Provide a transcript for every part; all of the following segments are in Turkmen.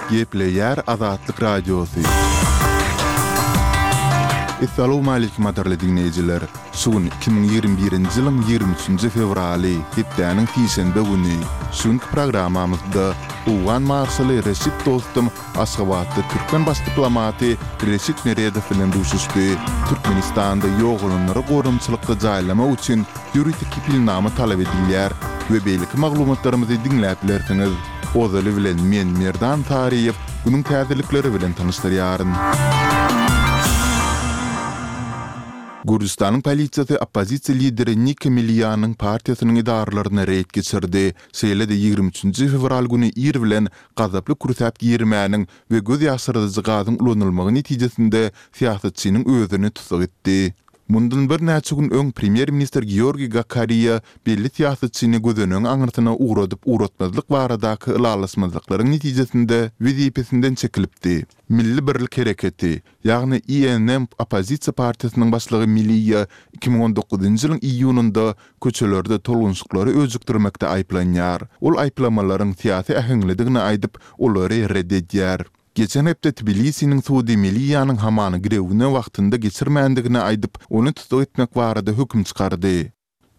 Gepleýär Azatlyk Radiosy. Essalawmaleýkim gadyrly diňleýjiler! Şu gün 2021-nji ýylyň 23-nji fewraly, hepdäniň sişenbe güni. Şu günki programmamyzda owgan marşaly Reşit Dostum Aşgabatda türkmen baş diplomaty Reşit Meredow bilen duşuşdy. Türkmenistanda ýogalanlary gorumçylykda jaýlamak üçin ýörite kepilnama talap edilýär we beýleki maglumatlarymyzy diňläp bilersiňiz. Ozaly bilen men Merdan Saryýew günüň täzelikleri bilen tanyşdyrýaryn. Gürjüstanyň polisiýasy oppozisiýa lideri Nika Melianyň partiýasynyň edaralaryna reýd geçirdi. Şeýle-de 23 fewral güni ir bilen gazaply kürsäp girmäniň we göz ýaşyrdyjy gazyň ulanylmagy netijesinde syýasatçynyň özüni tussag etdi. Mundan birnäçe gün öň premýer-ministr Georgiý Gakariýa belli syýasatçyny gözenegiň aňyrsyna ugradyp-ugratmazlyk baradaky ylalaşmazlyklaryň netijesinde wezipesinden çekilipdi. Milli birlik hereketi, ýagny INM oppozisiýa partiýasynyň başlygy Miliýa 2019-njy ýylyň iýunynda köçelerde tolgunşyklary öjükdirmekde aýyplanýar. Ol aýyplamalaryň syýasy äheňlidigini aýdyp, olary ret edýär. Geçen hepde Tbilisiniň sudy Meliýanyň hamany girewine wagtynda geçirmändigini aýdyp, ony tussag etmek barada höküm çykardy.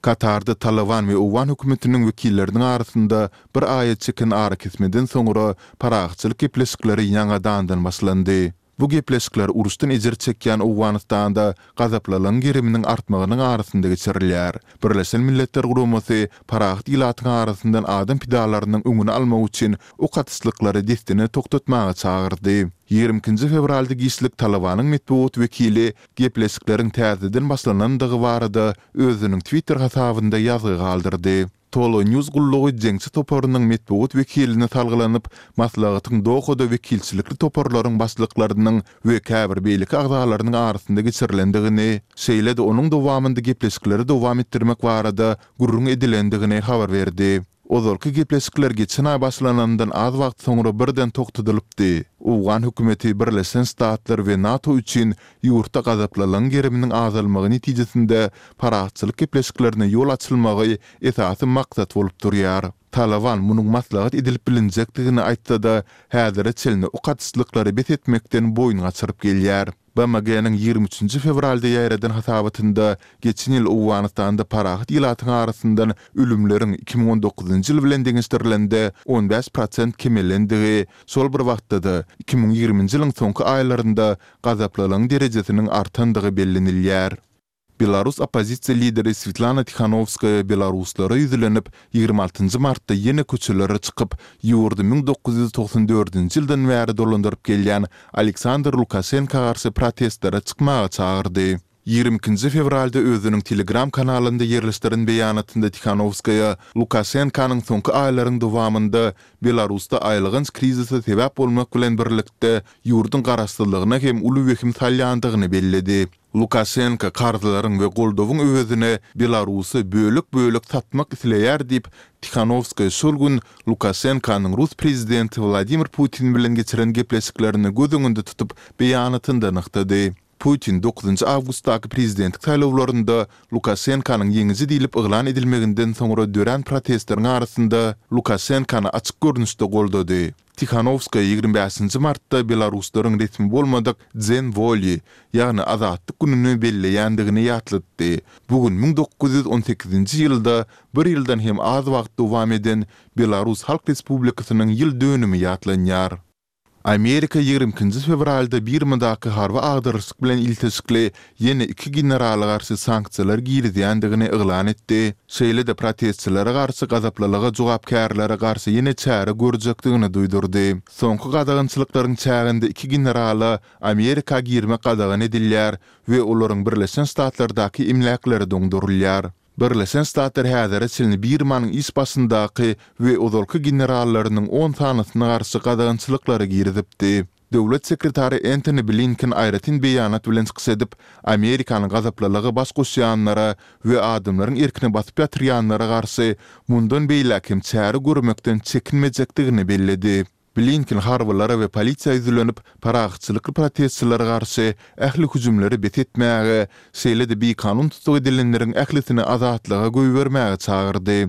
Katarda Talyban we owgan hökümetiniň wekilleriniň arasynda bir aýa çeken arakesmeden soňra parahatçylyk gepleşikleri ýaňadandan başlandy. Bu gepleşikler uruşdan ejir çekýän Owganystanda gazaplylygyň geriminiň artmagynyň arasynda geçirilýär. Birleşen Milletler Guramasy parahat ilatyň arasyndan adam pidalarynyň öňüni almak üçin ok atyşlyklary dessine togtatmaga çagyrdy. 22-nji fewralda giçlik Talybanyň metbugat wekili gepleşikleriň täzeden başlanandygy barada özüniň Twitter hasabynda ýazgy galdyrdy. Tolo News gullugy jeňçi toparynyň metbugat wekiline salgylanyp, maslahatyň Dohada wekilçilikli toparlaryň başlyklarynyň we käbir beýleki agzalarynyň arasynda geçirilendigini, şeýle-de onuň dowamynda gepleşikleri dowam etdirmek barada gürrüň edilendigini habar berdi. Ozalky gepleşikler geçen aý başlanandan az wagt soňra birden togtadylypdy. Owgan hökümeti Birleşen Ştatlar we NATO üçin ýurtda gazaplylygyň geriminiň azalmagy netijesinde parahatçylyk gepleşiklerine ýol açylmagy esasy maksat bolup durýar. Talyban munuň maslahat edilip bilinjekdigini aýtsa-da, häzire çenli ok atyşlyklary bes etmekden boýun gaçyryp gelýär. BMG-niň 23-nji fewralda ýaýradan hasabatynda geçen ýyl Owganystanda parahat ilatyň arasyndan ölümleriň 2019-njy ýyl bilen deňeşdirilende 15 prosent kemelendigi, şol bir wagtda-da, 2020-nji ýylyň soňky aýlarynda gazaplylygyň derejesiniň artandygy bellenilýär. Belarus oppozisiýa lideri Swetlana Tihanowskaýa belaruslara ýüzlenip, 26 martda ýene köçelere çykyp, ýurdy 1994-nji ýyldan bäri dolandyryp gelýän Aleksandr Lukaşenka garşy protestlere çykmaga çagyrdy. 22-nji fewralda özüniň Telegram kanalynda ýerleşdiren beýanatynda Tihanowskaýa Lukaşenkanyň soňky aýlaryň dowamynda Belarusda aýylganç krizise sebäp bolmak bilen birlikde ýurduň garaşsyzlygyna hem uly wehim salýandygyny belledi. Lukaşenko karzlaryň we goldawyň öwezine Belarusy bölek-bölek satmak isleýär diýip, Tihanowskaýa şol gün Lukaşenkonyň rus prezidenti Wladimir Putin bilen geçiren gepleşiklerini göz öňünde tutup beýanatynda nygtady. Putin dokuzynjy awgustdaky prezidentlik saýlawlarynda Lukaşenkonyň ýeňiji diýlip yglan edilmeginden soňra dörän protestleriň arasynda Lukaşenkony açyk görnüşde goldady. Tihanowskaýa 25-nji martda belaruslaryň resmi bolmadyk Dzen Woli, ýagny Azatlyk gününi belleýändigini ýatlatdy. Bu gün 1918-nji ýylda bir ýyldan hem az wagt dowam eden Belarus Halk Respublikasynyň ýyl dönümi ýatlanýar. Amerika 22-nji fewralda Birmadaky harby agdarylyşyk bilen ilteşikli ýene iki generala garşy sanksiýalar girizýändigini yglan etdi, şeýle-de protestçilere garşy gazaplylyga jogapkärlere garşy ýene çäre görjekdigini duýdurdy. Soňky gadagançylyklaryň çäginde iki generala Amerika girmek gadagan edilýär we olaryň Birleşen Ştatlardaky emläkleri doňdurylýar. Birleşen Ştatlar häzire çenli Birmanyň iş başyndaky we ozalky generallarynyň on sanysyna garşy gadagançylyklary girizipdi. Döwlet sekretary Entoni Blinken aýratyn beýanat bilen çykyş edip, Amerikanyň gazaplylyga baş goşýanlara we adamlaryň erkini basyp ýatyrýanlara garşy mundan beýläk hem çäre görmekden çekinmejekdigini belledi. Blinken harbylara we polisiýa ýüzlenip, parahatçylykly protestçilere garşy ähli hüjümleri bes etmäge, şeýle-de bikanun tussag edilenleriň ählisini azatlyga goýbermäge çagyrdy.